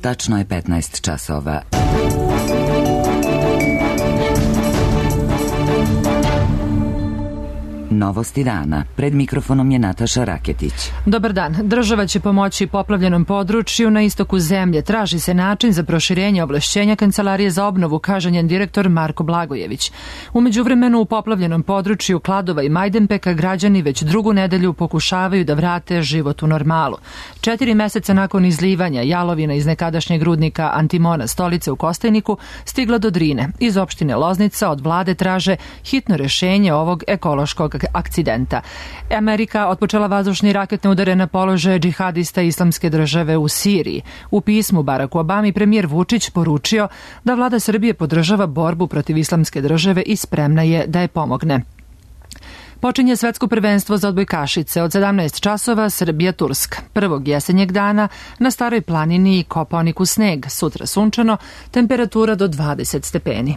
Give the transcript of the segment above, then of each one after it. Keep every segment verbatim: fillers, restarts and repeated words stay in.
Tačno je petnaest časova. Novosti dana. Pred mikrofonom je Nataša Raketić. Dobar dan. Država će pomoći poplavljenom području na istoku zemlje. Traži se način za proširenje ovlašćenja Kancelarije za obnovu, kaže njen direktor Marko Blagojević. U međuvremenu u poplavljenom području Kladova i Majdanpeka građani već drugu nedelju pokušavaju da vrate život u normalu. Četiri meseca nakon izlivanja jalovina iz nekadašnjeg rudnika Antimona Stolice u Kostajniku stigla do Drine. Iz opštine Loznica od vlade traže hitno rešenje ovog ekološkog akcidenta. Amerika otpočela vazdušne i raketne udare na položaje džihadista Islamske države u Siriji. U pismu Baracku Obami premijer Vučić poručio da vlada Srbije podržava borbu protiv Islamske države i spremna je da je pomogne. Počinje svetsko prvenstvo za odbojkašice od sedamnaest časova Srbija-Turska. Prvog jesenjeg dana na Staroj planini Kopaoniku sneg, sutra sunčano, temperatura do dvadeset stepeni.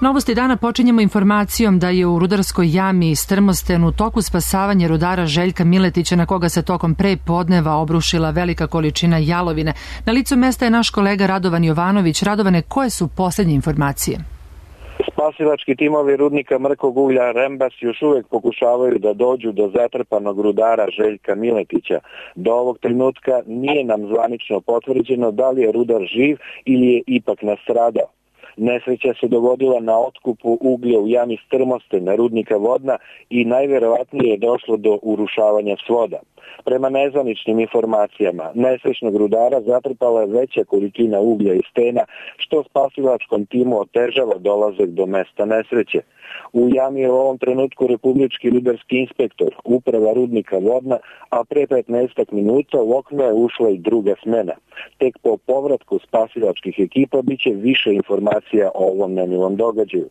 Novosti dana počinjemo informacijom da je u rudarskoj jami Strmosten u toku spasavanja rudara Željka Miletića, na koga se tokom pre podneva obrušila velika količina jalovine. Na licu mesta je naš kolega Radovan Jovanović. Radovane, koje su posljednje informacije? Spasilački timovi rudnika mrkog uglja Rembas još uvijek pokušavaju da dođu do zatrpanog rudara Željka Miletića. Do ovog trenutka nije nam zvanično potvrđeno da li je rudar živ ili je ipak nastradao. Nesreća se dogodila na otkupu uglja u jami Strmosten, rudnika Vodna, i najverovatnije je došlo do urušavanja svoda. Prema nezvaničnim informacijama, nesrećnog rudara zatrpala je veća količina uglja i stena, što spasilačkom timu otežava dolazak do mesta nesreće. U jami je u ovom trenutku republički rudarski inspektor, uprava rudnika Vodna, a pre petnaest minuta u okno je ušla i druga smena. Tek po povratku spasilačkih ekipa biće više informacija o ovom nemilom događaju.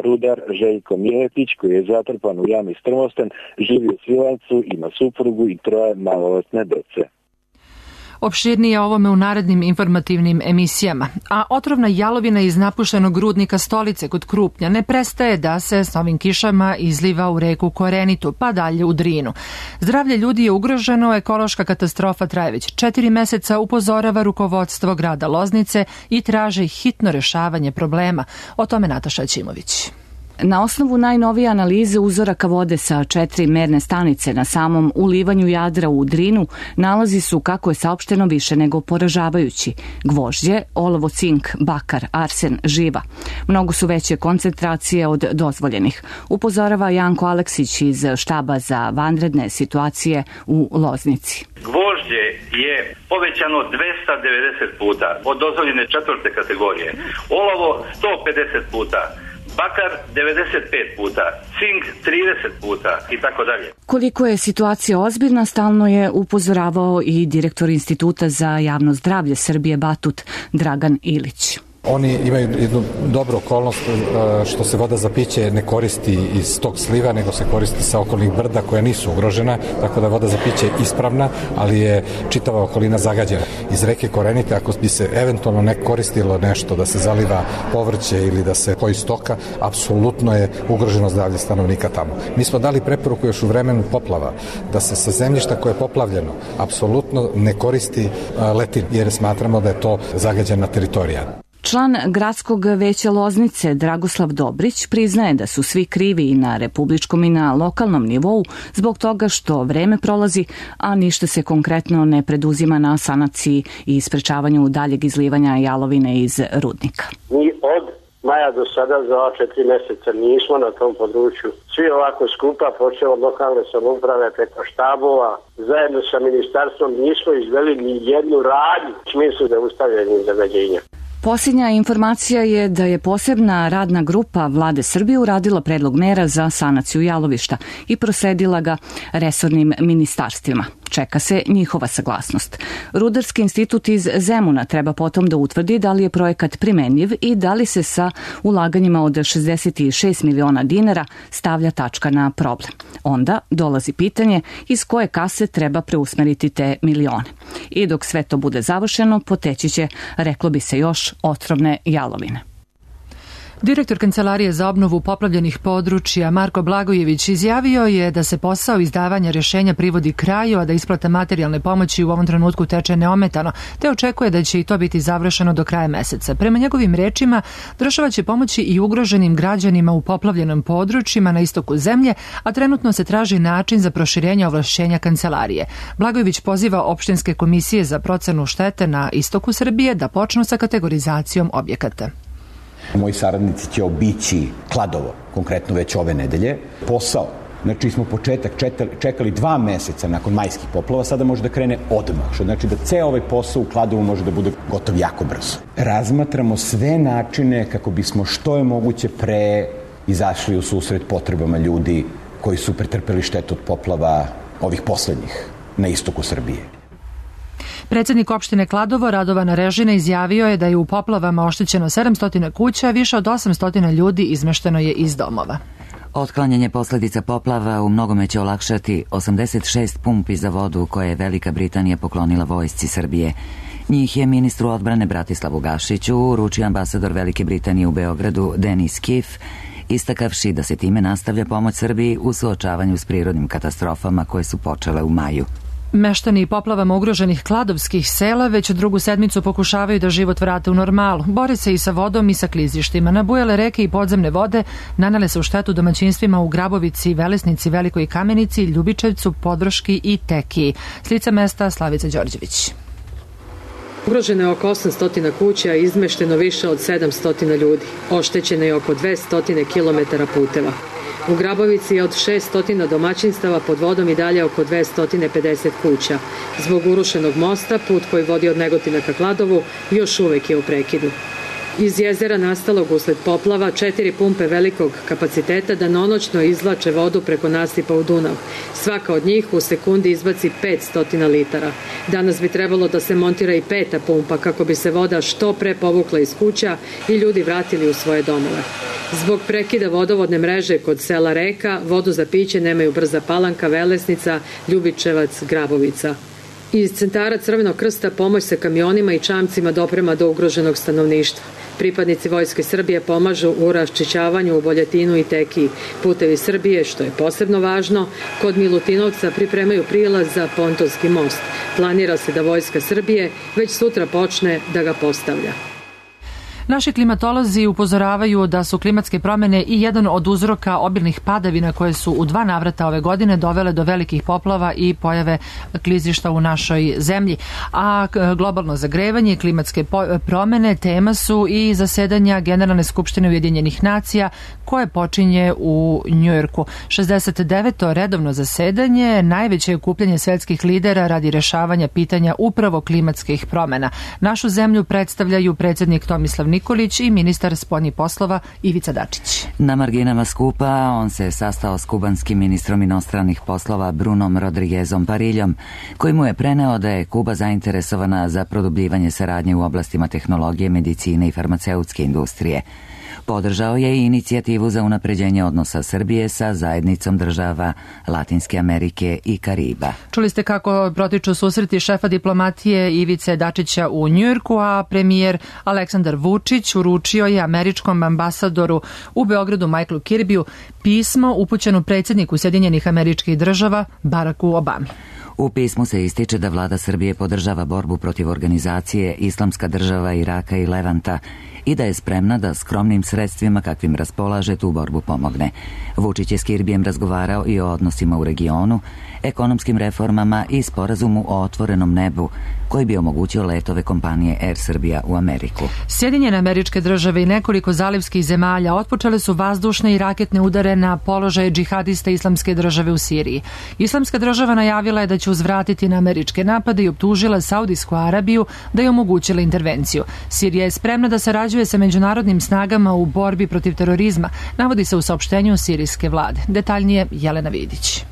Rudar Željko Miletić, koji je zatrpan u jami Strmosten, živi u Svilajncu, ima suprugu i troje maloletne dece. Opširnije o ovome u narednim informativnim emisijama. A otrovna jalovina iz napuštenog rudnika Stolice kod Krupnja ne prestaje da se s novim kišama izliva u reku Korenitu, pa dalje u Drinu. Zdravlje ljudi je ugroženo, ekološka katastrofa traje već četiri meseca, upozorava rukovodstvo grada Loznice i traži hitno rešavanje problema. O tome Nataša Ćimović. Na osnovu najnovije analize uzoraka vode sa četiri merne stanice na samom ulivanju Jadra u Drinu nalazi su, kako je saopšteno, više nego poražavajući. Gvožđe, olovo, cink, bakar, arsen, živa. Mnogo su veće koncentracije od dozvoljenih, upozorava Janko Aleksić iz štaba za vanredne situacije u Loznici. Gvožđe je povećano dvesta devedeset puta od dozvoljene četvrte kategorije. Olovo sto pedeset puta. Bakar devedeset pet puta, cink trideset puta i tako dalje. Koliko je situacija ozbiljna, stalno je upozoravao i direktor Instituta za javno zdravlje Srbije Batut Dragan Ilić. Oni imaju jednu dobru okolnost što se voda za piće ne koristi iz tog sliva, nego se koristi sa okolnih brda koja nisu ugrožena, tako da voda za piće je ispravna, ali je čitava okolina zagađena. Iz reke Korenite, ako bi se eventualno ne koristilo nešto da se zaliva povrće ili da se poji stoka, apsolutno je ugroženo zdravlje stanovnika tamo. Mi smo dali preporuku još u vremenu poplava da se sa zemljišta koje je poplavljeno apsolutno ne koristi letin, jer smatramo da je to zagađena teritorija. Član gradskog veća Loznice Dragoslav Dobrić priznaje da su svi krivi i na republičkom i na lokalnom nivou zbog toga što vreme prolazi, a ništa se konkretno ne preduzima na sanaciji i sprečavanju daljeg izlivanja jalovine iz rudnika. Mi od maja do sada za ova četiri meseca nismo na tom području svi ovako skupa, počeo od lokalne samouprave preko štabova, zajedno sa ministarstvom nismo izveli ni jednu radnju u smislu zaustavljanja zagađenja. Posljednja informacija je da je posebna radna grupa Vlade Srbije uradila predlog mera za sanaciju jalovišta i prosledila ga resornim ministarstvima. Čeka se njihova saglasnost. Rudarski institut iz Zemuna treba potom da utvrdi da li je projekat primenjiv i da li se sa ulaganjima od šezdeset šest miliona dinara stavlja tačka na problem. Onda dolazi pitanje iz koje kase treba preusmeriti te milione. I dok sve to bude završeno, poteći će, reklo bi se, još otrovne jalovine. Direktor Kancelarije za obnovu poplavljenih područja Marko Blagojević izjavio je da se posao izdavanja rješenja privodi kraju, a da isplata materijalne pomoći u ovom trenutku teče neometano, te očekuje da će i to biti završeno do kraja meseca. Prema njegovim rečima, država će pomoći i ugroženim građanima u poplavljenom područjima na istoku zemlje, a trenutno se traži način za proširenje ovlašćenja Kancelarije. Blagojević poziva opštinske komisije za procenu štete na istoku Srbije da počnu sa kategorizacijom objekata. Moji saradnici će obići Kladovo, konkretno već ove nedelje. Posao, znači smo početak čekali dva meseca nakon majskih poplava, sada može da krene odmah, što znači da ceo ovaj posao u Kladovu može da bude gotov jako brzo. Razmatramo sve načine kako bismo što je moguće pre izašli u susret potrebama ljudi koji su pretrpeli štetu od poplava ovih poslednjih na istoku Srbije. Predsjednik opštine Kladovo Radovan Režina izjavio je da je u poplavama oštećeno sedamsto kuća, a više od osamsto ljudi izmešteno je iz domova. Otklanjanje posljedica poplava u mnogome će olakšati osamdeset šest pumpi za vodu koje je Velika Britanija poklonila vojsci Srbije. Njih je ministru odbrane Bratislavu Gašiću uručio ambasador Velike Britanije u Beogradu Denis Kif, istakavši da se time nastavlja pomoć Srbiji u suočavanju s prirodnim katastrofama koje su počele u maju. Meštani poplavama ugroženih kladovskih sela već drugu sedmicu pokušavaju da život vrate u normalu. Bore se i sa vodom i sa klizištima. Nabujale reke i podzemne vode nanele se u štetu domaćinstvima u Grabovici, Velesnici, Velikoj Kamenici, Ljubičevcu, Podvrški i Tekiji. S lica mesta Slavica Đorđević. Ugroženo je oko osamsto kuća, izmešteno više od sedamsto ljudi. Oštećeno je oko dvesta kilometara puteva. U Grabovici je od šeststo domaćinstava pod vodom i dalje oko dvesta pedeset kuća. Zbog urušenog mosta, put koji vodi od Negotina ka Kladovu još uvek je u prekidu. Iz jezera nastalog usled poplava četiri pumpe velikog kapaciteta danonoćno izvlače vodu preko nasipa u Dunav. Svaka od njih u sekundi izbaci petsto litara. Danas bi trebalo da se montira i peta pumpa kako bi se voda što pre povukla iz kuća i ljudi vratili u svoje domove. Zbog prekida vodovodne mreže kod sela Reka, vodu za piće nemaju Brza Palanka, Velesnica, Ljubičevac, Grabovica. Iz centara Crvenog krsta pomoć sa kamionima i čamcima doprema do ugroženog stanovništva. Pripadnici Vojske Srbije pomažu u raščišćavanju u Boljatinu i Tekiji. Putevi Srbije, što je posebno važno, kod Milutinovca pripremaju prilaz za pontonski most. Planira se da Vojska Srbije već sutra počne da ga postavlja. Naši klimatolozi upozoravaju da su klimatske promjene i jedan od uzroka obilnih padavina koje su u dva navrata ove godine dovele do velikih poplava i pojave klizišta u našoj zemlji. A globalno zagrevanje i klimatske promjene tema su i zasedanja Generalne skupštine Ujedinjenih nacija koje počinje u Njujorku. šezdeset deveto redovno zasedanje, najveće okupljanje svetskih lidera radi rešavanja pitanja upravo klimatskih promjena. Našu zemlju predstavljaju predsjednik Tomislav Nikolić i ministar spoljnih poslova Ivica Dačić. Na marginama skupa on se sastao s kubanskim ministrom inostranih poslova Brunom Rodriguezom Pariljom, koji mu je preneo da je Kuba zainteresovana za produbljivanje saradnje u oblastima tehnologije, medicine i farmaceutske industrije. Podržao je i inicijativu za unapređenje odnosa Srbije sa zajednicom država Latinske Amerike i Kariba. Čuli ste kako protiču susreti šefa diplomatije Ivice Dačića u Njujorku, a premijer Aleksandar Vučić uručio je američkom ambasadoru u Beogradu Michaelu Kirbiju pismo upućeno predsjedniku Sjedinjenih Američkih Država Baracku Obami. U pismu se ističe da vlada Srbije podržava borbu protiv organizacije Islamska država Iraka i Levanta i da je spremna da skromnim sredstvima kakvim raspolaže tu borbu pomogne. Vučić je s Kirbijem razgovarao i o odnosima u regionu, ekonomskim reformama i sporazumu o otvorenom nebu koji bi omogućio letove kompanije Air Srbija u Ameriku. Sjedinjene Američke Države i nekoliko zalivskih zemalja otpočele su vazdušne i raketne udare na položaje džihadista Islamske države u Siriji. Islamska država najavila je da će uzvratiti na američke napade i optužila Saudijsku Arabiju da je omogućila intervenciju. Sirija je spremna da sarađuje sa međunarodnim snagama u borbi protiv terorizma, navodi se u saopštenju sirijske vlade. Detaljnije Jelena Vidić.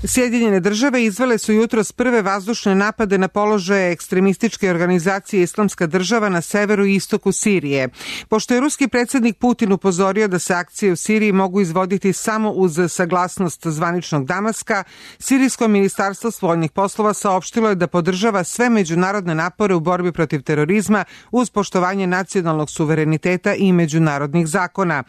Sjedinjene države izvele su jutros prve vazdušne napade na položaje ekstremističke organizacije Islamska država na severu i istoku Sirije. Pošto je ruski predsjednik Putin upozorio da se akcije u Siriji mogu izvoditi samo uz saglasnost zvaničnog Damaska, Sirijsko ministarstvo spoljnih poslova saopštilo je da podržava sve međunarodne napore u borbi protiv terorizma uz poštovanje nacionalnog suvereniteta i međunarodnih zakona.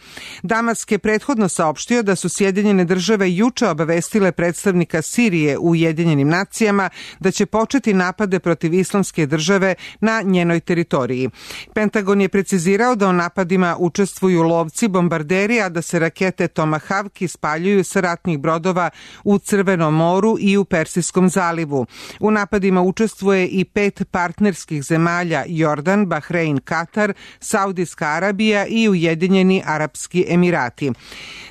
Damask je prethodno saopštio da su Sjedinjene države juče obavestile predstavnike Sirije u Ujedinjenim nacijama da će početi napade protiv Islamske države na njenoj teritoriji. Pentagon je precizirao da u napadima učestvuju lovci, bombarderi, a da se rakete Tomahawk ispaljuju sa ratnih brodova u Crvenom moru i u Persijskom zalivu. U napadima učestvuje i pet partnerskih zemalja: Jordan, Bahrein, Katar, Saudijska Arabija i Ujedinjeni Arapski Emirati.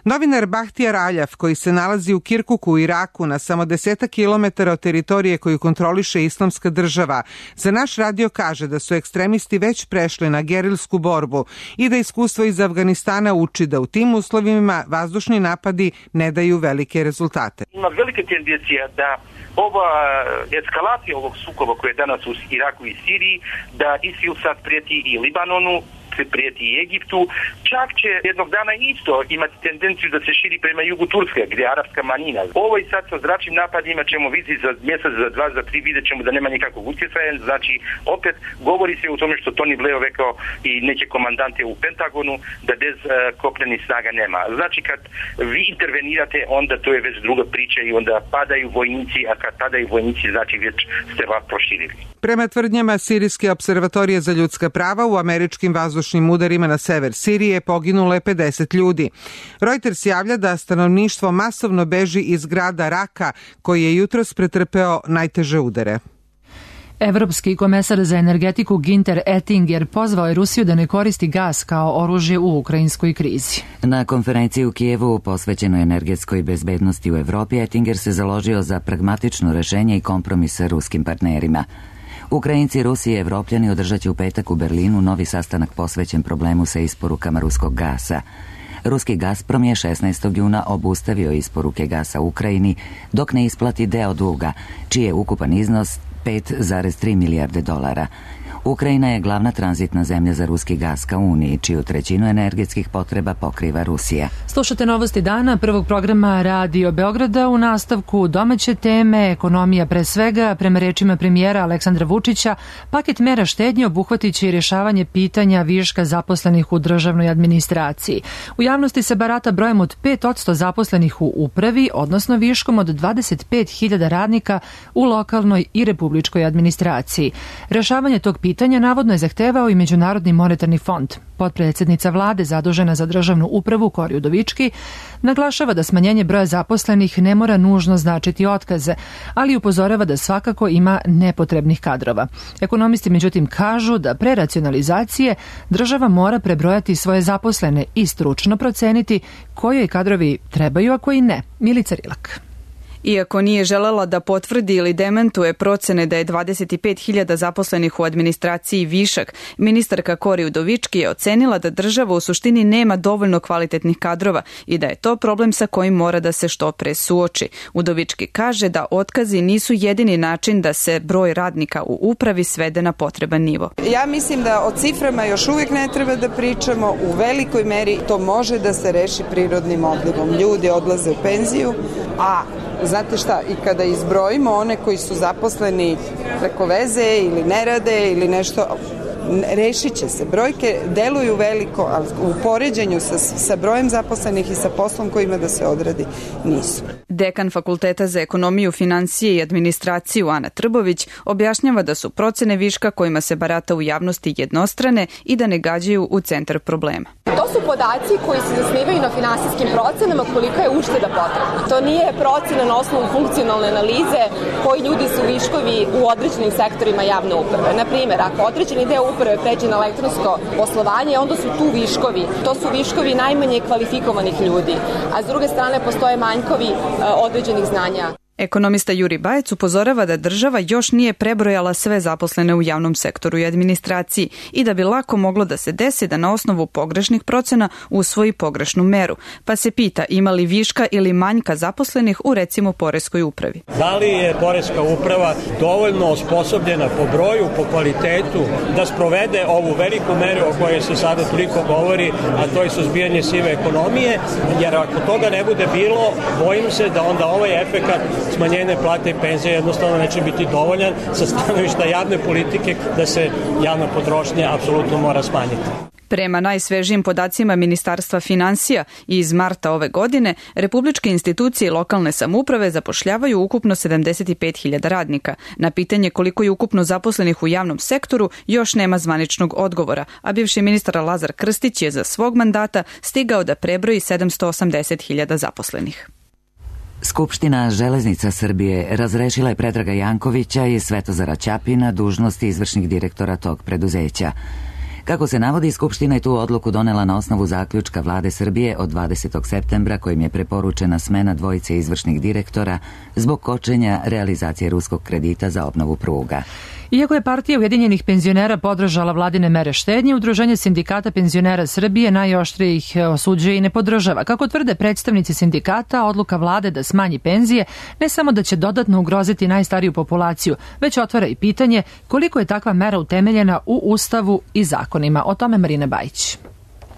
Novinar Bahtiyar Aljaf, koji se nalazi u Kirkuku u Iraku na samo desetak kilometara od teritorije koju kontroliše Islamska država, za naš radio kaže da su ekstremisti već prešli na gerilsku borbu i da iskustvo iz Afganistana uči da u tim uslovima vazdušni napadi ne daju velike rezultate. Ima velike tendencija da ova eskalacija ovog sukoba koje je danas u Iraku i Siriji, da ISIL sad prijeti i Libanonu, prijeti i Egiptu, čak će jednog dana isto imati tendenciju da se širi prema jugu Turske, gdje je arapska manjina. Ovo i sad sa zračnim napadima ćemo vidjeti za mjesec, za dva, za tri, vidjet ćemo da nema nikakvog utjecaja. Znači, opet govori se o tome što Tony Blair rekao i neke komandante u Pentagonu, da bez uh, kopnenih snaga nema. Znači, kad vi intervenirate, onda to je već druga priča i onda padaju vojnici, a kad padaju vojnici, znači već ste vas proširili. Prema tvrdnjama Sirijske observatorije za ljudska prava, u američkim vazdušnim udarima na sever Sirije poginulo je pedeset ljudi. Reuters javlja da stanovništvo masovno beži iz grada Raka, koji je jutros pretrpeo najteže udare. Evropski komesar za energetiku Günther Oettinger pozvao je Rusiju da ne koristi gas kao oružje u ukrajinskoj krizi. Na konferenciji u Kijevu posvećenoj energetskoj bezbednosti u Evropi, Oettinger se založio za pragmatično rešenje i kompromis sa ruskim partnerima. Ukrajinci, Rusi i Evropljani održat će u petak u Berlinu novi sastanak posvećen problemu sa isporukama ruskog gasa. Ruski Gazprom je šesnaestog juna obustavio isporuke gasa Ukrajini dok ne isplati deo duga, čiji je ukupan iznos pet zarez tri milijarde dolara. Ukrajina je glavna tranzitna zemlja za ruski gas ka Uniji, čiju trećinu energetskih potreba pokriva Rusija. Slušate novosti dana prvog programa Radio Beograda. U nastavku domaće teme, ekonomija pre svega. Prema rečima premijera Aleksandra Vučića, paket mera štednje obuhvatit će i rješavanje pitanja viška zaposlenih u državnoj administraciji. U javnosti se barata brojem od pet posto zaposlenih u upravi, odnosno viškom od dvadeset pet hiljada radnika u lokalnoj i republičkoj administraciji. Rješavanje tog pitanja pitanja navodno je zahtevao i Međunarodni monetarni fond. Potpredsjednica vlade zadužena za državnu upravu Kori Udovički naglašava da smanjenje broja zaposlenih ne mora nužno značiti otkaze, ali upozorava da svakako ima nepotrebnih kadrova. Ekonomisti međutim kažu da pre racionalizacije država mora prebrojati svoje zaposlene i stručno proceniti koji kadrovi trebaju, a koji ne. Milica Rilak. Iako nije želela da potvrdi ili dementuje procene da je dvadeset pet hiljada zaposlenih u administraciji višak, ministarka Kori Udovički je ocenila da država u suštini nema dovoljno kvalitetnih kadrova i da je to problem sa kojim mora da se što pre suoči. Udovički kaže da otkazi nisu jedini način da se broj radnika u upravi svede na potreban nivo. Ja mislim da o ciframa još uvijek ne treba da pričamo. U velikoj meri to može da se reši prirodnim odlivom. Ljudi odlaze u penziju, a znate šta, i kada izbrojimo one koji su zaposleni preko veze ili ne rade ili nešto, rešit će se. Brojke deluju veliko, ali u poređenju sa, sa brojem zaposlenih i sa poslom koji ima da se odradi nisu. Dekan Fakulteta za ekonomiju, financije i administraciju Ana Trbović objašnjava da su procene viška kojima se barata u javnosti jednostrane i da ne gađaju u centar problema. To su podaci koji se zasnivaju na finansijskim procenama kolika je ušteda potrebna. To nije procena na osnovu funkcionalne analize koji ljudi su viškovi u određenim sektorima javne uprave. Na primjer, ako određeni deo uprave pređe na elektronsko poslovanje, onda su tu viškovi. To su viškovi najmanje kvalifikovanih ljudi, a s druge strane postoje manjkovi određenih znanja. Ekonomista Juri Bajec upozorava da država još nije prebrojala sve zaposlene u javnom sektoru i administraciji i da bi lako moglo da se desi da na osnovu pogrešnih procena usvoji pogrešnu meru, pa se pita ima li viška ili manjka zaposlenih u recimo poreskoj upravi. Da li je poreska uprava dovoljno osposobljena po broju, po kvalitetu da sprovede ovu veliku meru o kojoj se sada toliko govori, a to je suzbijanje sive ekonomije, jer ako toga ne bude bilo, bojim se da onda ovaj efekat smanjenje plate i penzije jednostavno neće biti dovoljan sa stanovišta javne politike da se javna potrošnja apsolutno mora smanjiti. Prema najsvežijim podacima Ministarstva finansija iz marta ove godine, republičke institucije i lokalne samouprave zapošljavaju ukupno sedamdeset pet hiljada radnika. Na pitanje koliko je ukupno zaposlenih u javnom sektoru još nema zvaničnog odgovora, a bivši ministar Lazar Krstić je za svog mandata stigao da prebroji sedamsto osamdeset hiljada zaposlenih. Skupština Železnica Srbije razrešila je Predraga Jankovića i Svetozara Ćapina dužnosti izvršnih direktora tog preduzeća. Kako se navodi, Skupština je tu odluku donela na osnovu zaključka Vlade Srbije od dvadesetog septembra kojim je preporučena smena dvojice izvršnih direktora zbog kočenja realizacije ruskog kredita za obnovu pruga. Iako je partija Ujedinjenih penzionera podržala vladine mere štednje, Udruženje sindikata penzionera Srbije najoštrije ih osuđuje i ne podržava. Kako tvrde predstavnici sindikata, odluka vlade da smanji penzije ne samo da će dodatno ugroziti najstariju populaciju, već otvara i pitanje koliko je takva mera utemeljena u Ustavu i zakonima. O tome Marina Bajić.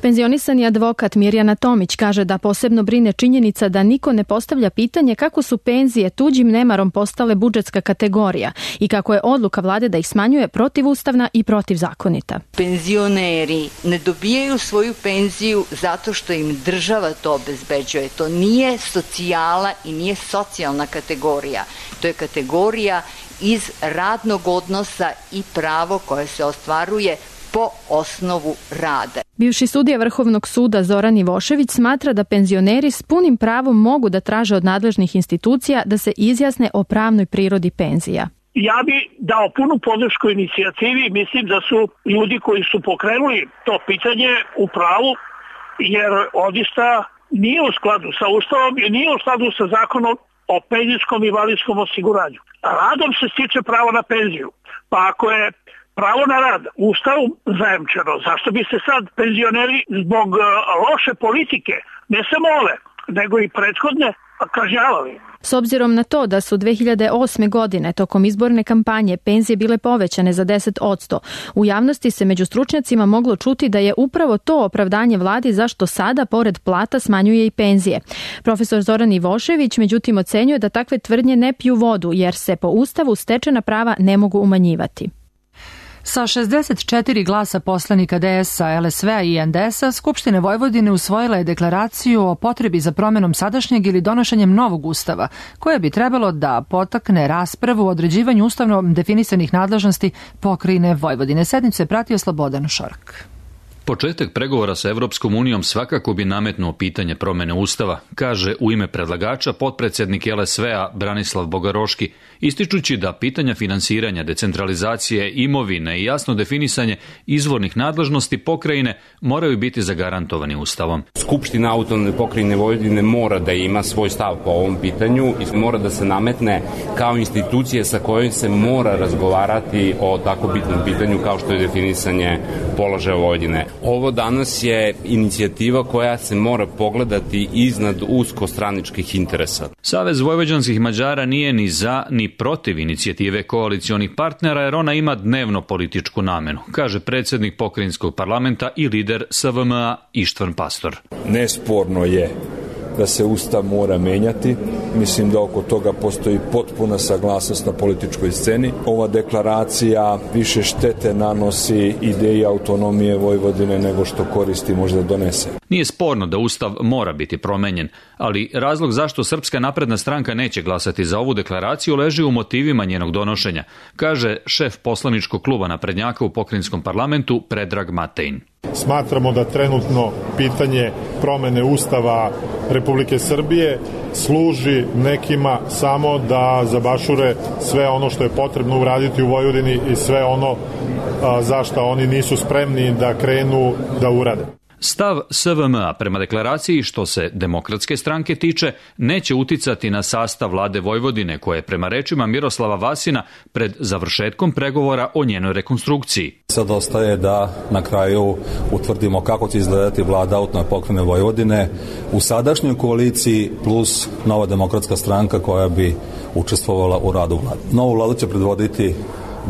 Penzionisani advokat Mirjana Tomić kaže da posebno brine činjenica da niko ne postavlja pitanje kako su penzije tuđim nemarom postale budžetska kategorija i kako je odluka vlade da ih smanjuje protivustavna i protivzakonita. Penzioneri ne dobijaju svoju penziju zato što im država to obezbeđuje. To nije socijala i nije socijalna kategorija. To je kategorija iz radnog odnosa i pravo koje se ostvaruje po osnovu rada. Bivši sudija Vrhovnog suda Zoran Ivošević smatra da penzioneri s punim pravom mogu da traže od nadležnih institucija da se izjasne o pravnoj prirodi penzija. Ja bi dao punu podršku inicijativi, mislim da su ljudi koji su pokrenuli to pitanje u pravu, jer odista nije u skladu sa Ustavom i nije u skladu sa zakonom o penzijskom i invalidskom osiguranju. Radom se stiče pravo na penziju, pa ako je pravo na rad Ustavom zajamčeno, zašto bi se sad penzioneri zbog loše politike, ne samo ove, nego i prethodne, kažnjavali? S obzirom na to da su dve hiljade osme. godine tokom izborne kampanje penzije bile povećane za deset posto, u javnosti se među stručnjacima moglo čuti da je upravo to opravdanje vladi zašto sada pored plata smanjuje i penzije. Profesor Zoran Ivošević međutim ocenjuje da takve tvrdnje ne piju vodu jer se po Ustavu stečena prava ne mogu umanjivati. Sa šezdeset četiri glasa poslanika D S-a, L S V-a i N D S-a, Skupština Vojvodine usvojila je deklaraciju o potrebi za promjenom sadašnjeg ili donošenjem novog ustava, koje bi trebalo da potakne raspravu o određivanju ustavno definisanih nadležnosti pokrajine Vojvodine. Sednicu je pratio Slobodan Šorak. Početak pregovora sa Evropskom unijom svakako bi nametnuo pitanje promjene ustava, kaže u ime predlagača potpredsjednik L S V-a Branislav Bogaroški, ističući da pitanja finansiranja, decentralizacije, imovine i jasno definisanje izvornih nadležnosti pokrajine moraju biti zagarantovani ustavom. Skupština autonomne pokrajine Vojvodine mora da ima svoj stav po ovom pitanju i mora da se nametne kao institucija sa kojom se mora razgovarati o tako bitnom pitanju kao što je definisanje položaja Vojvodine. Ovo danas je inicijativa koja se mora pogledati iznad uskostraničkih interesa. Savez vojvođanskih Mađara nije ni za ni protiv inicijative koalicionih partnera jer ona ima dnevno političku namenu, kaže predsjednik pokrajinskog parlamenta i lider S V M A Ištvan Pastor. Nesporno je da se Ustav mora menjati. Mislim da oko toga postoji potpuna saglasnost na političkoj sceni. Ova deklaracija više štete nanosi ideji autonomije Vojvodine nego što koristi možda donese. Nije sporno da Ustav mora biti promenjen, ali razlog zašto Srpska napredna stranka neće glasati za ovu deklaraciju leži u motivima njenog donošenja, kaže šef poslaničkog kluba naprednjaka u pokrajinskom parlamentu Predrag Matejn. Smatramo da trenutno pitanje promene Ustava Republike Srbije služi nekima samo da zabašure sve ono što je potrebno uraditi u Vojvodini i sve ono a, za što oni nisu spremni da krenu da urade. Stav S V M-a prema deklaraciji što se Demokratske stranke tiče neće uticati na sastav vlade Vojvodine koja je prema rečima Miroslava Vasina pred završetkom pregovora o njenoj rekonstrukciji. Sad ostaje da na kraju utvrdimo kako će izgledati vlada autonomne pokrajine Vojvodine u sadašnjoj koaliciji plus Nova demokratska stranka koja bi učestvovala u radu vlade. Novu vladu će predvoditi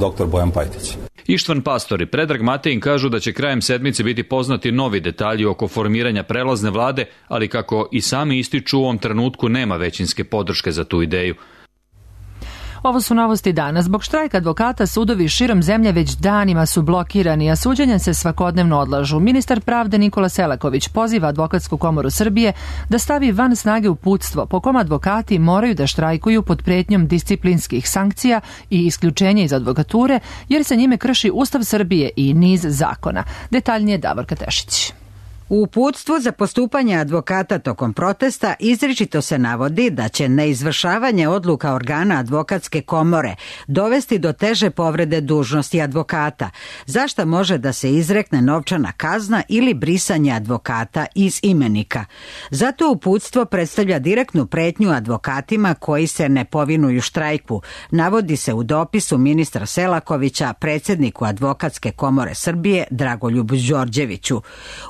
doktor Bojan Pajtić. Ištvan Pastor i Predrag Matejin kažu da će krajem sedmice biti poznati novi detalji oko formiranja prelazne vlade, ali kako i sami ističu u ovom trenutku nema većinske podrške za tu ideju. Ovo su novosti danas. Zbog štrajka advokata sudovi širom zemlje već danima su blokirani, a suđenja se svakodnevno odlažu. Ministar pravde Nikola Selaković poziva Advokatsku komoru Srbije da stavi van snage uputstvo po kom advokati moraju da štrajkuju pod pretnjom disciplinskih sankcija i isključenja iz advokature, jer se njime krši Ustav Srbije i niz zakona. Detaljnije Davorka Tešić. U uputstvu za postupanje advokata tokom protesta izričito se navodi da će neizvršavanje odluka organa advokatske komore dovesti do teže povrede dužnosti advokata, za šta može da se izrekne novčana kazna ili brisanje advokata iz imenika. Zato uputstvo predstavlja direktnu pretnju advokatima koji se ne povinuju štrajku, navodi se u dopisu ministra Selakovića predsjedniku Advokatske komore Srbije Dragoljubu Đorđeviću.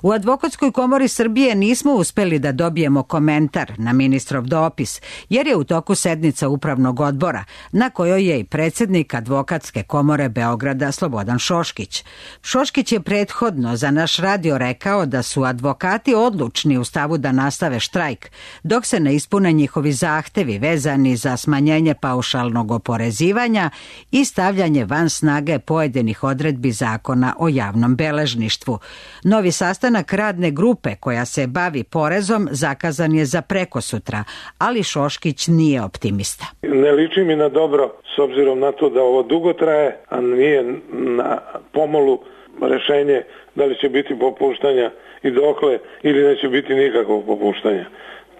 U Advokatskoj komori Srbije nismo uspeli da dobijemo komentar na ministrov dopis, jer je u toku sednica upravnog odbora, na kojoj je i predsjednik Advokatske komore Beograda Slobodan Šoškić. Šoškić je prethodno za naš radio rekao da su advokati odlučni u stavu da nastave štrajk, dok se ne ispune njihovi zahtevi vezani za smanjenje paušalnog oporezivanja i stavljanje van snage pojedinih odredbi zakona o javnom beležništvu. Novi sastanak radne grupe koja se bavi porezom zakazan je za prekosutra, ali Šoškić nije optimista. Ne liči mi na dobro s obzirom na to da ovo dugo traje, a nije na pomolu rešenje da li će biti popuštanja i dokle ili neće biti nikakvog popuštanja.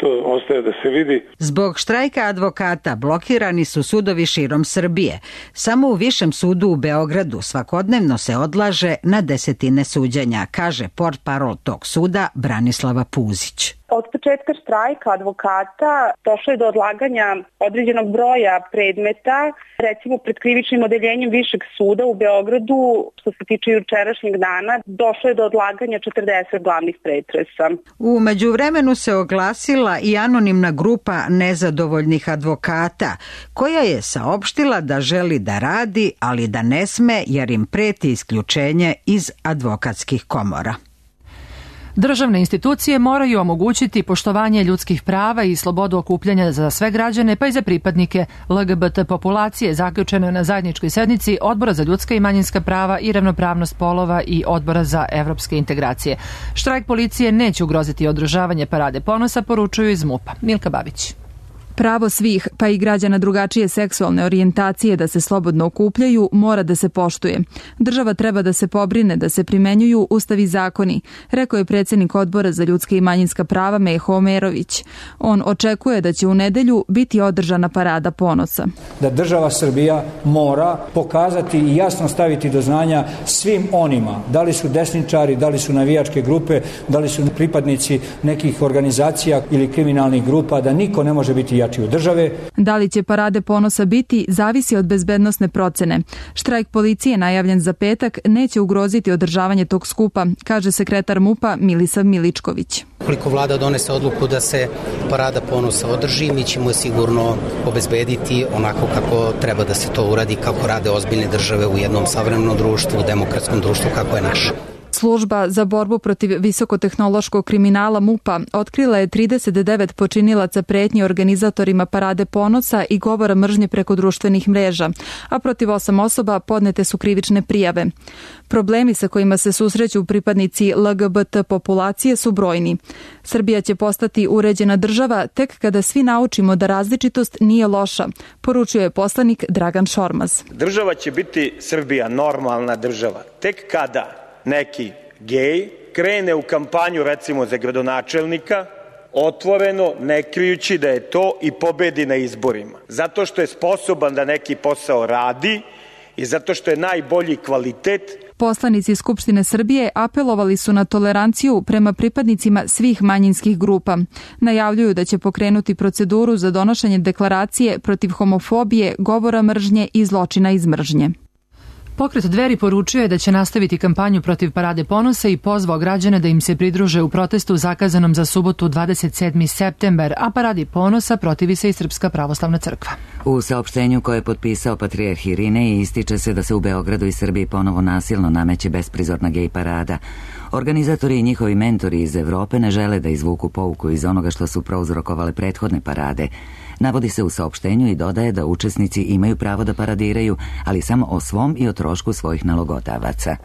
To ostaje da se vidi. Zbog štrajka advokata blokirani su sudovi širom Srbije. Samo u Višem sudu u Beogradu svakodnevno se odlaže na desetine suđenja, kaže portparol tog suda Branislava Puzić. Od početka štrajka advokata došlo je do odlaganja određenog broja predmeta, recimo pred krivičnim odeljenjem Višeg suda u Beogradu, što se tiče jučerašnjeg dana, došlo je do odlaganja četrdeset glavnih pretresa. U međuvremenu se oglasila i anonimna grupa nezadovoljnih advokata, koja je saopštila da želi da radi, ali da ne sme jer im preti isključenje iz advokatskih komora. Državne institucije moraju omogućiti poštovanje ljudskih prava i slobodu okupljanja za sve građane, pa i za pripadnike L G B T populacije, zaključeno je na zajedničkoj sednici Odbora za ljudska i manjinska prava i ravnopravnost polova i Odbora za evropske integracije. Štrajk policije neće ugroziti održavanje Parade ponosa, poručuju iz MUP-a. Milka Babić. Pravo svih, pa i građana drugačije seksualne orijentacije da se slobodno okupljaju, mora da se poštuje. Država treba da se pobrine da se primenjuju Ustav i zakoni, rekao je predsjednik Odbora za ljudska i manjinska prava Meho Omerović. On očekuje da će u nedelju biti održana Parada ponosa. Da država Srbija mora pokazati i jasno staviti do znanja svim onima, da li su desničari, da li su navijačke grupe, da li su pripadnici nekih organizacija ili kriminalnih grupa, da niko ne može biti jači od države. Da li će Parade ponosa biti, zavisi od bezbednosne procene. Štrajk policije najavljen za petak neće ugroziti održavanje tog skupa, kaže sekretar MUP-a Milisav Miličković. Koliko vlada donese odluku da se Parada ponosa održi, mi ćemo sigurno obezbediti onako kako treba da se to uradi, kako rade ozbiljne države u jednom savremenom društvu, u demokratskom društvu kako je naše. Služba za borbu protiv visokotehnološkog kriminala MUP-a otkrila je trideset devet počinilaca pretnje organizatorima Parade ponosa i govora mržnje preko društvenih mreža, a protiv osam osoba podnete su krivične prijave. Problemi sa kojima se susreću pripadnici L G B T populacije su brojni. Srbija će postati uređena država tek kada svi naučimo da različitost nije loša, poručuje poslanik Dragan Šormaz. Država će biti Srbija normalna država tek kada neki gej krene u kampanju recimo za gradonačelnika, otvoreno, ne krijući da je to, i pobedi na izborima. Zato što je sposoban da neki posao radi i zato što je najbolji kvalitet. Poslanici Skupštine Srbije apelovali su na toleranciju prema pripadnicima svih manjinskih grupa. Najavljuju da će pokrenuti proceduru za donošenje deklaracije protiv homofobije, govora mržnje i zločina iz mržnje. Pokret Dveri poručio je da će nastaviti kampanju protiv Parade ponosa i pozvao građane da im se pridruže u protestu zakazanom za subotu dvadeset sedmi septembar, a Paradi ponosa protivi se i Srpska pravoslavna crkva. U saopštenju koje je potpisao patrijarh Irinej ističe se da se u Beogradu i Srbiji ponovo nasilno nameće besprizorna gej parada. Organizatori i njihovi mentori iz Evrope ne žele da izvuku pouku iz onoga što su prouzrokovale prethodne parade. Navodi se u saopštenju i dodaje da učesnici imaju pravo da paradiraju, ali samo o svom i o trošku svojih nalogodavaca.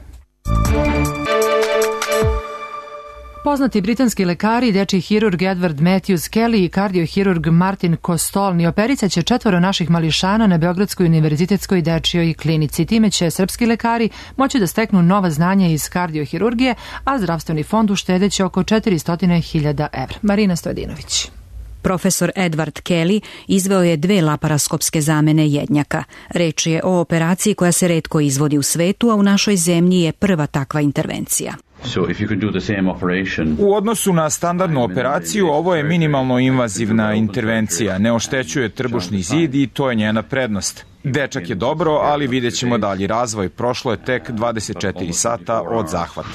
Poznati britanski lekari, dečiji hirurg Edward Matthews Kelly i kardiohirurg Martin Kostolni opericat će četvoro naših mališana na Beogradskoj univerzitetskoj dečijoj klinici. Time će srpski lekari moći da steknu nova znanja iz kardiohirurgije, a zdravstveni fond uštedeće oko četiristo hiljada evra. Marina Stojadinović. Profesor Edward Kelly izveo je dve laparaskopske zamene jednjaka. Reč je o operaciji koja se retko izvodi u svetu, a u našoj zemlji je prva takva intervencija. U odnosu na standardnu operaciju, ovo je minimalno invazivna intervencija, ne oštećuje trbušni zid i to je njena prednost. Dečak je dobro, ali vidjet ćemo dalji razvoj. Prošlo je tek dvadeset četiri sata od zahvata.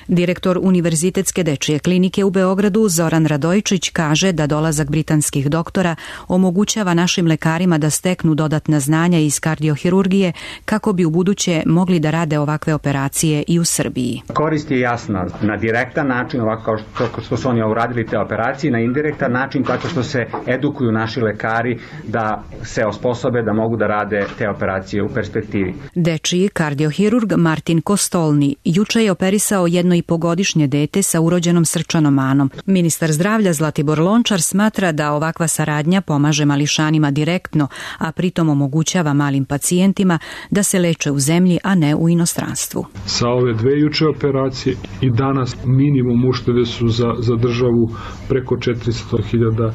Direktor Univerzitetske dečije klinike u Beogradu Zoran Radojčić kaže da dolazak britanskih doktora omogućava našim lekarima da steknu dodatna znanja iz kardiohirurgije kako bi u buduće mogli da rade ovakve operacije i u Srbiji. Korist je jasna na direktan način, ovako kao što su oni uradili te operacije, na indirektan način tako što se edukuju naši lekari da se osposobe da mogu da rade te operacije u perspektivi. Dečiji kardiohirurg Martin Kostolni juče je operisao jedno i pogodišnje dete sa urođenom srčanom manom. Ministar zdravlja Zlatibor Lončar smatra da ovakva saradnja pomaže mališanima direktno, a pritom omogućava malim pacijentima da se leče u zemlji, a ne u inostranstvu. Sa ove dve juče operacije i danas minimum uštede su za, za državu preko četiristo hiljada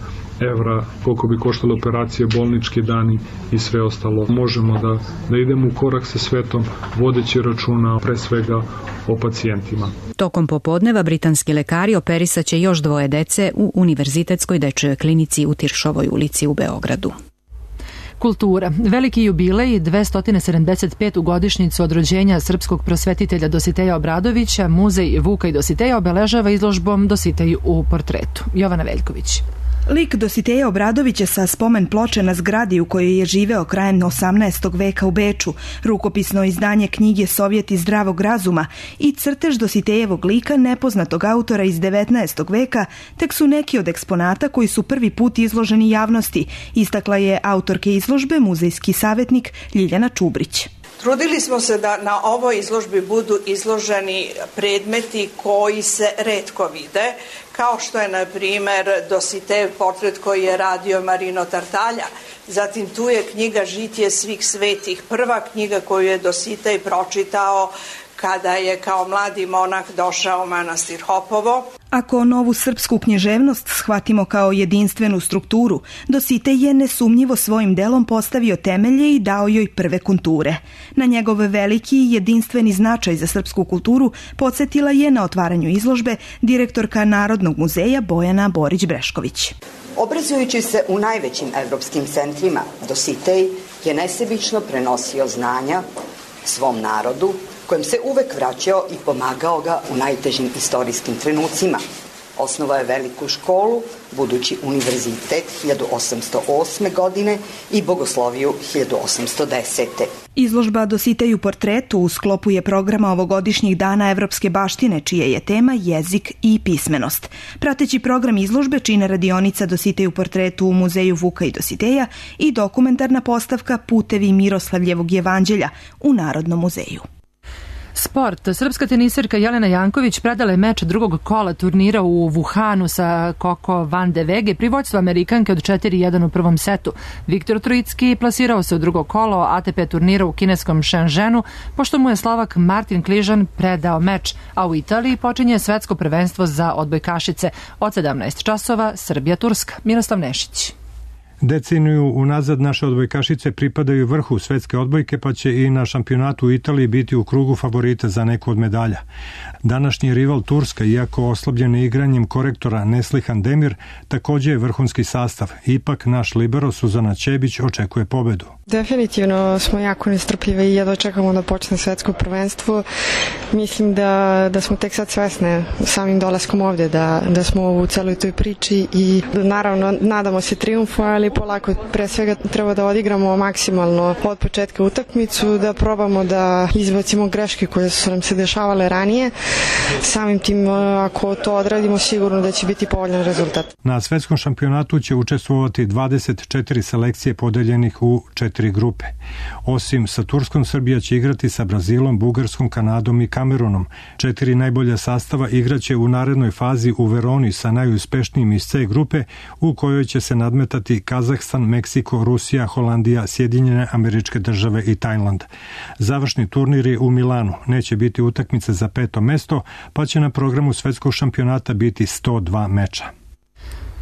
evra, koliko bi koštala operacije, bolnički dani i sve ostalo. Možemo da, da idemo u korak sa svetom, vodeći računa pre svega o pacijentima. Tokom popodneva britanski lekari operisat će još dvoje dece u Univerzitetskoj dečjoj klinici u Tiršovoj ulici u Beogradu. Kultura. Veliki jubilej dvesta sedamdeset petu godišnjicu od rođenja srpskog prosvetitelja Dositeja Obradovića, muzej Vuka i Dositeja obeležava izložbom Dositej u portretu. Jovana Veljković. Lik Dositeja Obradovića sa spomen ploče na zgradi u kojoj je živeo krajem osamnaestog veka u Beču, rukopisno izdanje knjige Sovjeti zdravog razuma i crtež Dositejevog lika nepoznatog autora iz devetnaestog veka tek su neki od eksponata koji su prvi put izloženi javnosti, istakla je autorke izložbe, muzejski savjetnik Ljiljana Čubrić. Trudili smo se da na ovoj izložbi budu izloženi predmeti koji se retko vide, kao što je, na primjer, Dositejev portret koji je radio Marino Tartalja. Zatim tu je knjiga Žitije svih svetih, prva knjiga koju je Dositej pročitao kada je kao mladi monah došao u manastir Hopovo. Ako novu srpsku književnost shvatimo kao jedinstvenu strukturu, Dositej je nesumnjivo svojim delom postavio temelje i dao joj prve konture. Na njegov veliki i jedinstveni značaj za srpsku kulturu podsjetila je na otvaranju izložbe direktorka Narodnog muzeja Bojana Borić-Brešković. Obrazujući se u najvećim evropskim centrima, Dositej je nesebično prenosio znanja svom narodu, kojem se uvek vraćao i pomagao ga u najtežim istorijskim trenucima. Osnovao je veliku školu, budući univerzitet hiljadu osamsto osme. godine i bogosloviju hiljadu osamsto desete. Izložba Dositej u portretu u sklopu je programa ovogodišnjih dana evropske baštine, čije je tema jezik i pismenost. Prateći program izložbe čine radionica Dositej u portretu u muzeju Vuka i Dositeja i dokumentarna postavka Putevi Miroslavljevog jevanđelja u Narodnom muzeju. Sport. Srpska teniserka Jelena Janković predala je meč drugog kola turnira u Wuhanu sa Coco van de Wege pri vođstvu Amerikanke od četiri jedan u prvom setu. Viktor Trojicki plasirao se u drugo kolo A T P turnira u kineskom Shenzhenu, pošto mu je Slovak Martin Kližan predao meč, a u Italiji počinje svetsko prvenstvo za odbojkašice od sedamnaest časova Srbija-Turska. Miroslav Nešić. Deceniju unazad naše odbojkašice pripadaju vrhu svetske odbojke, pa će i na šampionatu u Italiji biti u krugu favorita za neku od medalja. Današnji rival Turska, iako oslabljen igranjem korektora Neslihan Demir, takođe je vrhunski sastav. Ipak naš libero Suzana Ćebić očekuje pobedu. Definitivno smo jako nestrpljive i jedva čekamo da počne svetsko prvenstvo. Mislim da, da smo tek sad svesne samim dolaskom ovde, da, da smo u celoj toj priči i naravno nadamo se triumfu, ali polako pre svega treba da odigramo maksimalno od početka utakmicu, da probamo da izbacimo greške koje su nam se dešavale ranije. Samim tim, ako to odradimo, sigurno da će biti povoljan rezultat. Na svetskom šampionatu će učestvovati dvadeset četiri selekcije podeljenih u četiri grupe. Osim sa Turskom, Srbija će igrati sa Brazilom, Bugarskom, Kanadom i Kamerunom. Četiri najbolja sastava igraće u narednoj fazi u Veroni sa najuspešnijim iz C grupe, u kojoj će se nadmetati Kazahstan, Meksiko, Rusija, Holandija, Sjedinjene Američke Države i Tajland. Završni turnir je u Milanu. Neće biti utakmice za peto mesto, pa će na programu svetskog šampionata biti sto dva meča.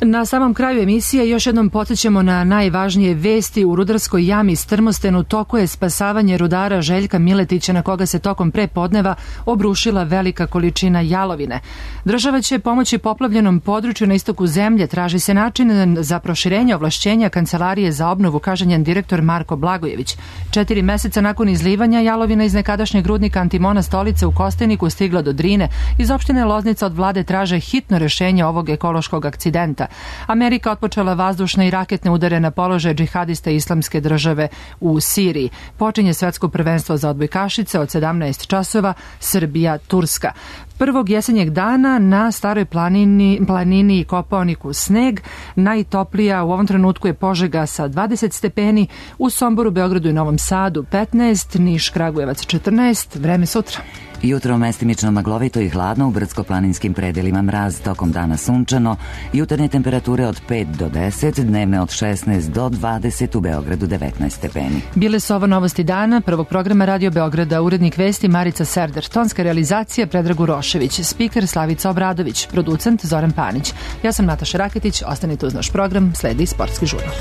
Na samom kraju emisije još jednom podsjećamo na najvažnije vesti. U rudarskoj jami Strmosten toku je spasavanje rudara Željka Miletića, na koga se tokom prepodneva obrušila velika količina jalovine. Država će pomoći poplavljenom području na istoku zemlje. Traži se način za proširenje ovlašćenja Kancelarije za obnovu, kaže njen direktor Marko Blagojević. Četiri meseca nakon izlivanja jalovina iz nekadašnjeg rudnika Antimona Stolice u Kosteniku stigla do Drine. Iz opštine Loznica od vlade traže hitno rešenje ovog ekološkog akcidenta. Amerika otpočela vazdušne i raketne udare na položaje džihadista Islamske države u Siriji. Počinje svetsko prvenstvo za odbojkašice od sedamnaest časova, Srbija-Turska. Prvog jesenjeg dana na staroj planini, planini i Kopaoniku sneg. Najtoplija u ovom trenutku je Požega sa dvadeset stepeni, u Somboru, Beogradu i Novom Sadu petnaest, Niš, Kragujevac četrnaest, vreme sutra. Jutro mestimično maglovito i hladno, u brdsko-planinskim predelima mraz, tokom dana sunčano, jutarnje temperature od pet do deset, dnevne od šesnaest do dvadeset, u Beogradu devetnaest stepeni. Bile su ovo novosti dana, prvog programa Radio Beograda, urednik vesti Marica Serder, tonska realizacija Predrag Urošević, spiker Slavica Obradović, producent Zoran Panić. Ja sam Nataša Raketić, ostanite uz naš program, sledi sportski žurnal.